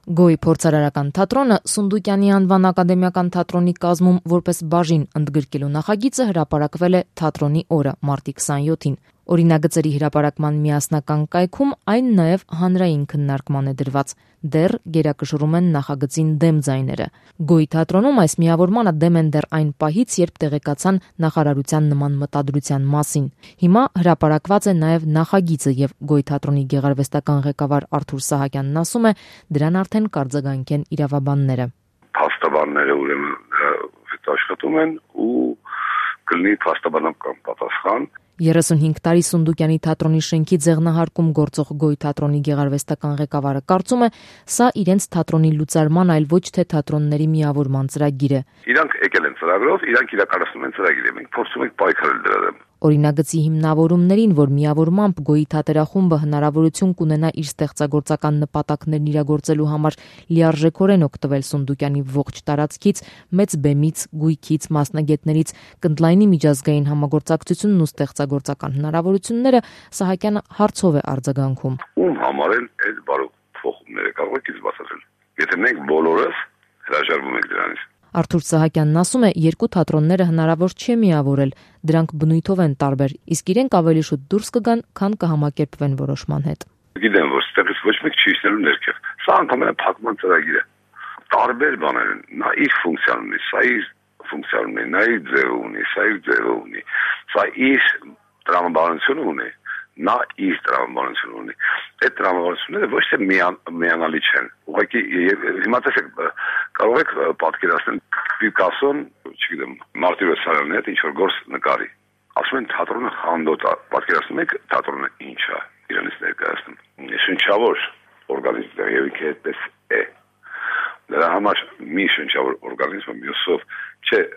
Գոյ փորձարարական թատրոնը Սունդուկյանի անվան ակադեմիական թատրոնի կազմում որպես բաժին ընդգրկելու նախագիծը հրապարակվել է թատրոնի օրը մարտի 27-ին։ Օրինագծերի հրապարակման միասնական կայքում այն նաև հանրային քննարկման է դրված։ Դեռ գերակշռում են նախագծին դեմ ձայները։ Գոյ թատրոնում այս միավորմանը դեմ են դեռ այն պահից, երբ տեղեկացան նախարարության նման մտադրության մասին։ Հիմա հրապարակված է նաև նախագիծը եւ Գոյ թատրոնի գեղարվեստական ղեկավար Արթուր Սահակյանն ասում է, դրան արդեն կարձագանք են իրավաբանները։ Փաստաբանները ուրեմն աշխատում են ու կլինի փաստաբանական պատասխան։ 35 տարի Սունդուկյանի թատրոնի շենքի ձեղնահարկում գործող Գոյ թատրոնի գեղարվեստական ղեկավարը կարծում է, սա իրենց թատրոնի լուծարման, այլ ոչ թե թատրոնների միավորման ծրագիր է։ Իրանք եկել են ծրագրով, իրանք իրականացնում են ծրագիրը, մենք փորձում ենք պայքարել դրա դեմ։ Օրինագծի հիմնավորումներին, որ միավորմամբ Գոյի թատերախումբը հնարավորություն կունենա իր ստեղծագործական նպատակներն իրագործելու համար լիարժեքորեն օգտվել Սունդուկյանի ողջ տարածքից, մեծ բեմից, գույքից, մասնագետներից, կընդլայնի միջազգային համագործակցությունն ու ստեղծագործական հնարավորությունները, Սահակյանը հարցով է արձագանքում։ Ում համար են այդ բարոյ փոխումները կարող եք բացատրել։ Եթե մենք բոլորս հրաժարվում ենք դրանից։ Արթուր Սահակյանն ասում է, երկու թատրոնները հնարավոր չէ միավորել, դրանք բնույթով են տարբեր, իսկ իրենք ավելի շուտ դուրս կգան, քան կհամակերպվեն որոշման հետ։ Գիտեմ, որ ստեղից ոչ մեկ չի իջնելու ներքև։ Սա ընդհանրապես փակման ծրագիր է։ Տարբեր բաներ են։ Նա իր ֆունկցիան ունի, սա իր ֆունկցիան ունի, նա իր ձևը ունի, սա իր ձևը ունի։ Սա իր տրամաբանությունը ունի, նա իր տրամաբանությունը ունի։ Այդ տրամաբանությունները ոչ թե միանալի չեն։ Ուղղակի հիմա տեսեք, կարող եք պատկերացնել Պիկասոն, չգիտեմ, Մարտի Վեսարյանի հետ ինչ-որ գործ նկարի։ Ասում են թատրոնը խանդոտ է։ Պատկերացնում եք թատրոնը ինչ է իրենից ներկայացնում։ Շնչավոր օրգանիզմ եւ ինքը այդպես է։ Դրա համար մի շնչավոր օրգանիզմը մյուսով չէ